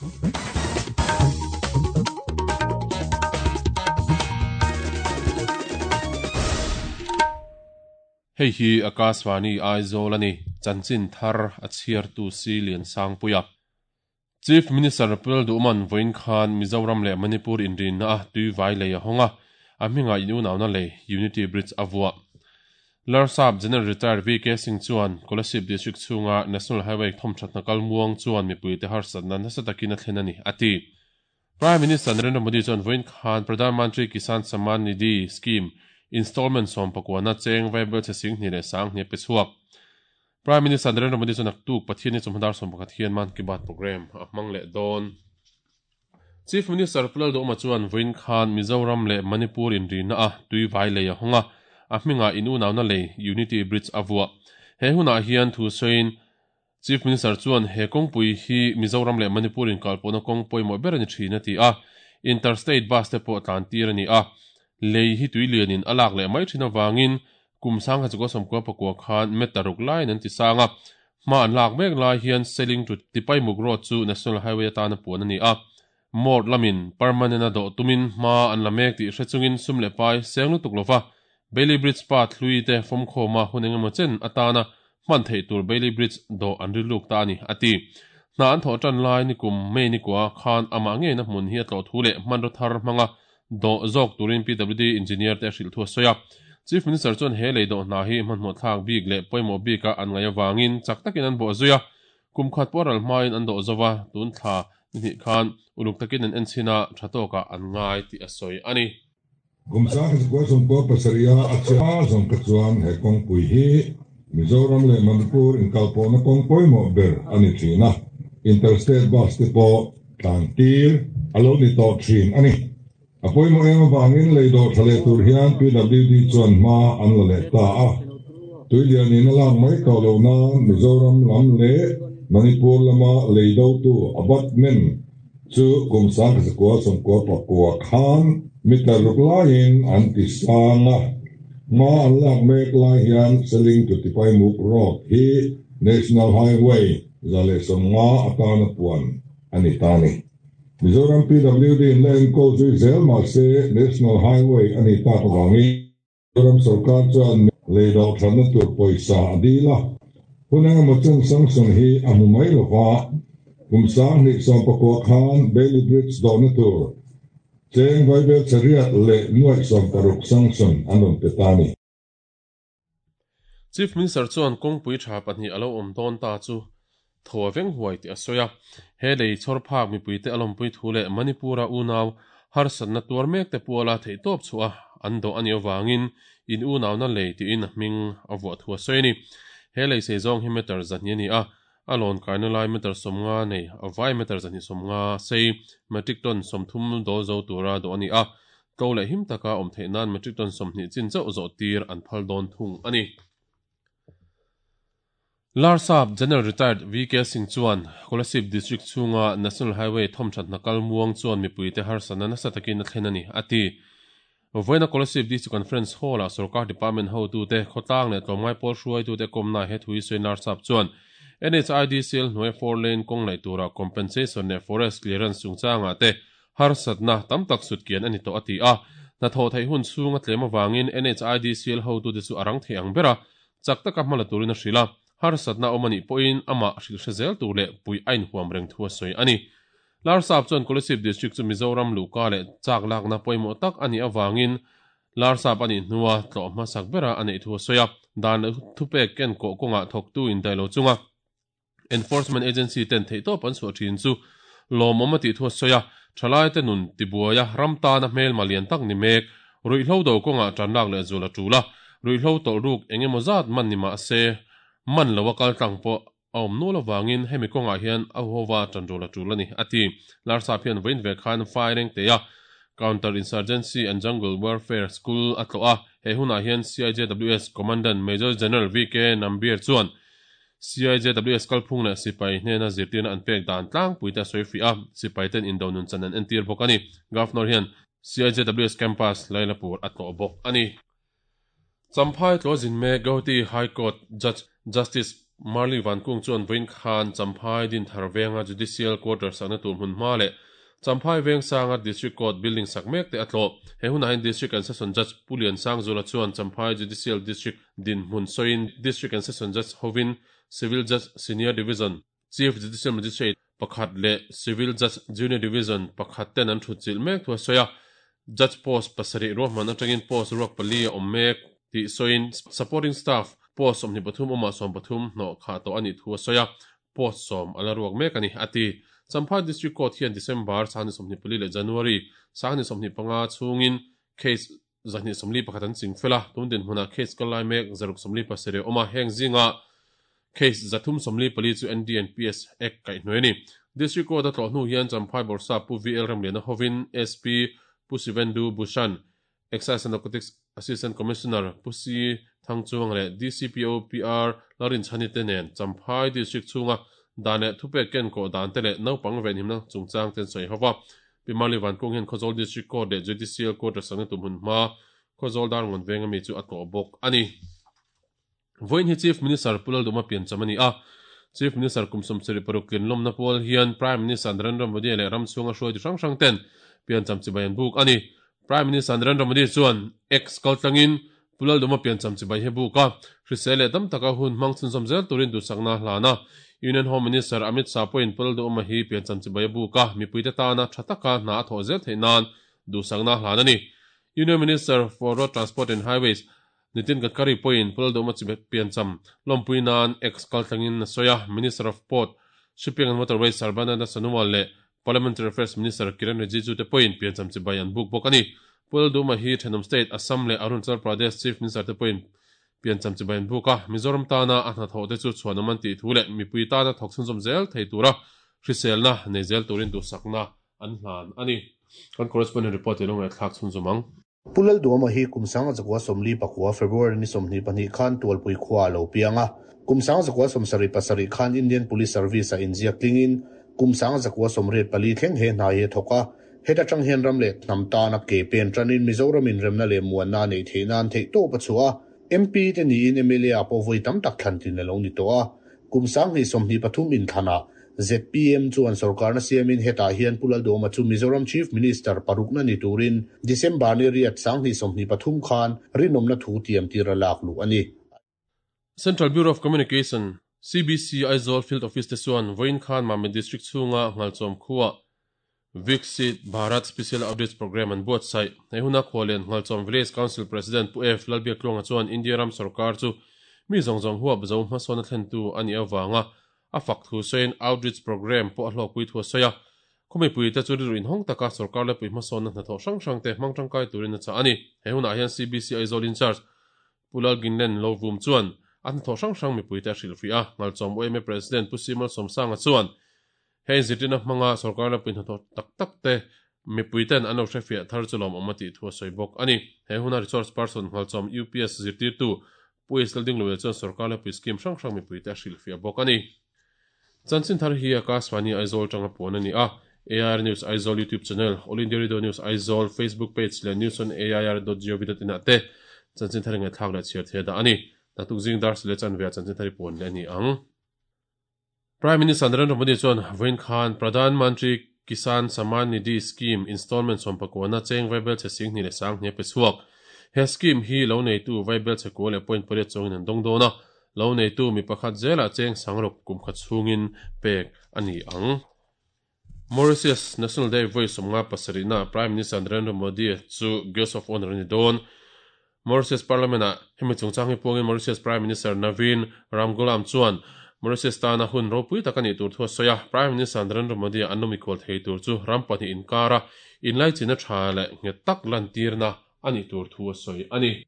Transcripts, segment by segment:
Hei hi Akashvani Aizawl a ni, chanchin thar a chhiartu Si Liansangpuia. Chief Minister Pul Duhman vawiin khan Mizoram leh Manipur inrinna a tuivai lei a hawng a, a hmingah inunauna lei Unity Bridge a vuah. Larsap General Retired VK Singh chuan Kolasib District chhunga National Highway thawmthatna kal muang chuan mipuite harsatna nasa takin a thlen a ni, a ti. Prime Minister Narendra Modi chuan vawiin khan Pradhan Mantri Kisan Samman Nidhi Scheme installment sawmpakuana cheng vaibel chhe sing hnih leh sang hnih a pe chhuak. Prime Minister Narendra Modi chuan naktuk Pathianni chawhma dar 11 hian Mann Ki Baat programme a hmang leh dawn. Chief Minister Pu Lalduhoma chuan vawiin khan Mizoram leh Manipur inrina a tui vai lei a hawng a, a hmingah in unauna lei Unity Bridge a vuah. He hunah hian thu sawiin Chief Minister chuan he kawngpui hi Mizoram leh Manipur inkalpawhna kawng pawimawh ber a ni thin a ti a, Inter-State Bus te pawh tlan tir a ni a, lei hi tui lianin a lak leh mai thin avangin kum sangha chukua sawmkua pakua khan meter ruk laiin an ti sang a, hma an lak mek lai hian Seling to Tipaimuk Road chu National Highway atana puan a ni a, Mort lamin permanent a dawh tumin hma an la mek tih hre chungin sum leh pai seng lutuk lova Bailey Bridge path hlui te fawmkhawma hun engemaw chen atana hman theih tur Bailey Bridge dawh an rilruk ta a ni, a ti. Hna an thawh tan lai nikum May nikua khan amah ngeina hmun hi a tlawh thu leh hmanraw thar hmanga dawh zawk turin PWD engineer te a hrilh thu a sawi a. Chief Minister chuan he lei dawh hna hi hmanhmawh thlak bik leh pawimawh bika an ngaih avangin chak takin an bawh zui a, Kum khat pawh ral hmain an dawh zo va, tun thla ni hnih khan uluk takin an en chhin a, tha tawkah an ngai tih a sawi a ni. Kum sang zakua sawmkua pasarih a a chiah zawng kha chuan he kawngpui hi Mizoram leh Manipur inkalpawhna kawng pawimawh ber a ni thin a, Interstate Bus te pawh tlan tir a lo ni tawh thin a ni. A pawimawh em avangin lei dawh tha leh tur hian PWD chuan hma an la leh ta a. Tuilianin a lak mai tawh loh nan Mizoram lam leh Manipur lama lei dotu abutment chu kum 19 sakua khan meter ruk laiin an ti sang a. Hma an lak mek lai hian Seling to Tipaimuk Road hi National Highway 150 atana puan a ni ta a ni. Mizoram PWD in la enkawl zui zel mahse National Highway a nih tak avangin Mizoram sorkar chuan lei dawh thatna tur pawisa a dil a, hun engemaw chen sanction hi a hmu mai lova, kum 2019 khan Bailey Bridge dawhna tur cheng vaibel chariat leh nuaih 60 sanction an rawn pe ta a ni. Chief Minister chuan kawngpui tha pahnih a lo awm dawn ta chu tho a veng huai tih a sawi a. He lei chhawr phak mipuite a lawmpui thu leh Manipur-a unau harsatna tuar mek te puala theihtawp chhuah a an dawh a nih avangin in unauna lei tiin a hming a vuah thu a sawi a ni. He lei sei zawng hi meter zahnih a ni a, a lawn kaina lai meter 50 nei a vai meter 250 sei metric ton 30 dawl zo tura dawh a ni a, Tlo leh him taka awm theih nan metric ton 20 chin chauh zawh tir an phal dawn thung a ni. Larsap General Retired VK Singh chuan Kolasib District chhunga National Highway thawmthat hna kal muang chuan mipuite harsatna nasa takin a thlen a ni, a ti. Vawiina Kolasib District Conference Hall-ah sorkar department hotute, khawtlang leh tlawmngai pawl hruaitute kawmna he thu hi sawi Larsap chuan NHIDCL hnuai four lane kawng laih tura compensation leh forest clearance chungchangah te Harsatna tam tak sutkian a ni tawh a ti a, hnathawh theih hun chhung a tlem avangin NHIDCL hotute chu a rang thei ang ber a, chak taka hma la turin a hrilh a, harsatna awm a nih pawhin amah hrilh hre zel tur leh puih a inhuam reng thu a sawi a ni. Larsap chuan Kolasib District chu Mizoram luhka leh chak lakna pawimawh tak a nih avangin Larsap a nih hnua tlawh hmasak bera a neih thu a sawi a, dan leh thupek ken kawh kawngah thawktu indaih lo chunga Enforcement Agency ten theihtawp an chhuah thin chu lawmawm a tih thu a sawi a, thalaite nun tibuaia ram tana hmelma lian tak ni mek, ruihhlo do kawngah tan lak leh zul a tul a, ruihhlo tawlh ruk eng emaw zat man ni mah se man lo a kal tlang pawh a awm nual avangin hemi kawngah hian a huhova tan rul a tul a ni, a ti. Larsap hian vawiin ve khan Faireng Teia Counter Insurgency and Jungle Warfare School a tlawh a, he hunah hian CIJWS Commandant Major General VK Nambiar chuan CIJWS kalphung leh sipai hnena zirtirna an pek dan tlangpui te a sawi fiah a, sipai ten indo nun chan an entir bawk a ni. Governor hian CIJWS Campus Lailapur a tlawh bawk a ni. Champhai tlawh zin mek Guwahati High Court Judge Justice Marli Vankung chuan vawiin khan Champhai Dinthar venga Judicial Quarter sakna tur hmun hma leh Champhai veng sanga District Court building sak mek te a tlawh. He hunah hian District and Session Judge Pu Liansangzula chuan Champhai Judicial District dinhmun sawiin District and Session Judge hovin Civil Judge Senior Division, Chief Judicial Magistrate pakhat leh Civil Judge Junior Division pakhat ten an thutchilh mek thu a sawi a. Judge post pasarih ruahman atangin post ruak pali a awm mek tih sawiin supporting staff post 23 awmah 13 hnawh khah tawh a nih thu a sawi a, post 10 a la ruak mek a ni, a ti. Champhai District Court hian December 2024 leh January 2025 chhungin case 241 an ching fel a, tun dinhmunah case kal lai mek 647 a awm a, heng zinga case 344 chu NDNPS Act kaihhnuai a ni. District Court a tlawh hnu hian Champhai Bawrhsap Pu VL Ramliana hovin SP Pu Sivendu Bhushan, Excise and Narcotics Assistant Commissioner Pu C Thangchuang leh DCPO PR Lalrinchhani te nen Champhai District chhunga dan leh thupek kenkawh dan te leh naupang venhimna chungchang te an sawi ho va. Pi Mali Vankung hian Khawzawl District Court leh Judicial Court a sakna tum hun hma Khawzawl Darngawn venga mi chu a tlawh bawk a ni. Vawiin hi Chief Minister Pu Lalduma piancham a ni a. Chief Minister kum 76 tlinlawmna pual hian Prime Minister Narendra Modi leh ram chhunga hruaitu hrang hrang ten piancham chibai an buk a ni. Prime Minister Narendra Modi chuan X kaltlangin Pu Lalduma piancham chibai hi buk a, hrisel leh dam taka hun hmang chhunzawm zel turin duhsakna a hlan a. Union Home Minister Amit Shah pawhin Pu Lalduhoma hi piancham chibai a buk a, mipuite tana tha taka hna a thawh zel theih nan duhsakna a hlan a ni. Union Minister for Road Transport and Highways Nitin Gadkari pawhin Pu Lalduhoma chibai piancham lawmpui nan X kaltlangin a sawi a, Minister of Port, Shipping and Waterways Sarbananda Sonowal leh Parliamentary Affairs Minister Kiren Rijiju te pawhin piancham chibai an buk bawk a ni. Pu Lalduhoma hi thenawm state Assam leh Arunachal Pradesh Chief Minister te pawhin piancham chibai an buk a, Mizoram tana a hnathawh te chu chhuanawm an tih thu leh mipui tana thawk chhunzawm zel thei tura hriselna nei zel turin duhsakna an hlan a ni. Kan correspondent report i lo ngaihthlak chhunzawm ang. Pu Lalduhoma hi kum 1949 February ni 22 khan Tualpui khua a lo piang a. Kum 1977 khan Indian Police Service-ah inziak tlingin kum 1984 thleng he hna hi a thawk a. Heta tang hian ram leh hnam tana ke pen tanin Mizoram inremna leh muanna a neih theih nan theihtawp a chhuah a. MP te niin mla ah pawh vawi tam tak thlan tlin a lo ni tawh a. Kum 2023 inthlanah zpm chuan sorkarna siamin hetah hian Pu Lalduhoma chu Mizoram Chief Minister parukna ni turin December ni riat 2023 khan rinawmna thu tiam tir a lak luh a ni. Central Bureau of Communication, CBC, Aizawl Field Office te chuan vawiin khan Mamit District chhunga Nghalchawm khuaa Viksit Bharat Special Outreach Programme an buatsaih. He huna khualian Nghalchawm Village Council President Pu F. Lalbiaktluanga chuan India ram sorkar chu mi zawng zawng huap zo hmasawn a thlentu a nih avanga a fak thu sawiin outreach programme pawh a hlawkpui thu a sawi a. Khaw mipuite chu rilru inhawng taka sorkar lepui hmasawnna hnathawh hrang hrangte hmang tangkai turin a chah a ni. He hunah hian CBC Aizawl Incharge Pu Lalginlen Lovum chuan a hnathawh hrang hrang mipuite a hrilhfih a, Nghalchawm UMA President Pu Simal Sawmsanga chuan heng zirtirna hmanga sorkar lepui hnathawh tak tak te mipuiten an lo hrefiah thar chu lawmawm a tih thu a sawi bawk a ni. He huna resource person Nghalchawm UPS zirtirtu Pu Isla Dingluia chuan sorkar lepui scheme hrang hrang mipuite a hrilhfiah bawk a ni. Chanchin thar hi Akashvani Aizawl tanga puan a ni a, AIR News Aizawl YouTube channel, All India Radio News Aizawl Facebook page leh news on air dot gov dot in ah te chanchin thar ngaihthlak leh chhiar thei a dah a ni. Naktuk zing dar sile chanve ah chanchin thar i puan leh a ni ang. Prime Minister Narendra Modi chuan vawiin khan Pradhan Mantri Kisan Samman Nidhi Scheme installment sawmpakuana cheng vaibel chhe 20 leh 20 a pe chhuak. He scheme hi lo neitu vaibel chhe kua leh point pariat chuangin an dawng dawn a, lo neitu mi pakhat zelah cheng sangruk kum khat chhungin pek a ni ang. Mauritius National Day vawi 57 na Prime Minister Narendra Modi chu Guest of Honour a ni dawn. Mauritius Parliament-ah hemi chungchang hi puangin Mauritius Prime Minister Navin Ramgoolam chuan Mauritius tana hun ropui tak a nih tur thu a sawi a, Prime Minister Narendra Modi an lo mikhual thei tur chu ram pahnih inkara inlaichinna tha leh nghet tak lantirna a nih tur thu a sawi a ni.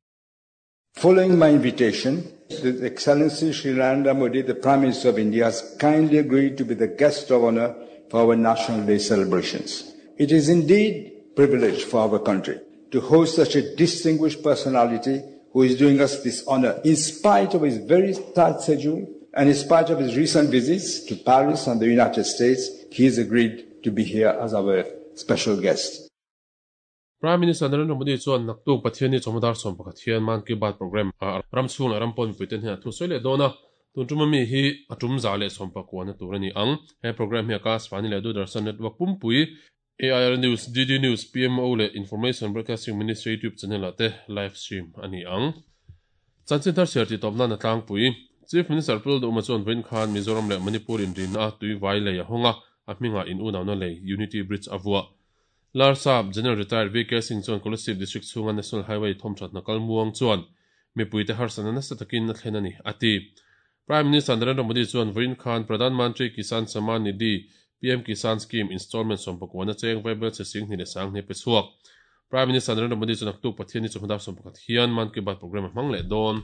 Following my invitation, His Excellency Sri Narendra Modi, the Prime Minister of India, has kindly agreed to be the guest of honor for our National Day celebrations. It is indeed privilege for our country to host such a distinguished personality who is doing us this honor in spite of his very tight schedule and in spite of his recent visits to Paris and the United States, he has agreed to be here as our special guest. Prime Minister Narendra Modi chuan naktuk Pathianni chawhma dar 11 hian Mann Ki Baat programme ah ram chhung leh ram pawn mipuite hnenah thu sawi leh dawn a. Tun tuma mi hi a tum 119 na tur ani ang. He program hi Akashvani leh Doordarshan network pumpui AIR News, DD News, PMO leh Information Broadcasting Ministry YouTube channel ah te live stream a ni ang. Chanchin thar chhiar tih tawp nan a tlangpui. Chief Minister Pu Lalduhma chuan vawiin khan Mizoram leh Manipur inrinna a tui vai lei a hawng a, a hmingah in unauna lei Unity Bridge a vuah. Larsap General Retired VK Singh chuan Kolasib District chhunga National Highway thawmthatna kal muang chuan mipuite harsatna nasa takin a thlen a ni, a ti. Prime Minister Narendra Modi chuan vawiin khan Pradhan Mantri Kisan Samman Nidhi, PM Kisan Scheme, installment sawmpakua cheng vaibel che sing hnih leh sang hnih pe chhuak. Prime Minister Narendra Modi chuan naktuk Pathian ni chawhma dar 11 hian Mann Ki Baat programme a hmang leh dawn.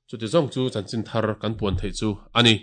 Chuti zawng chu chanchin thar kan puan theih chu a ni.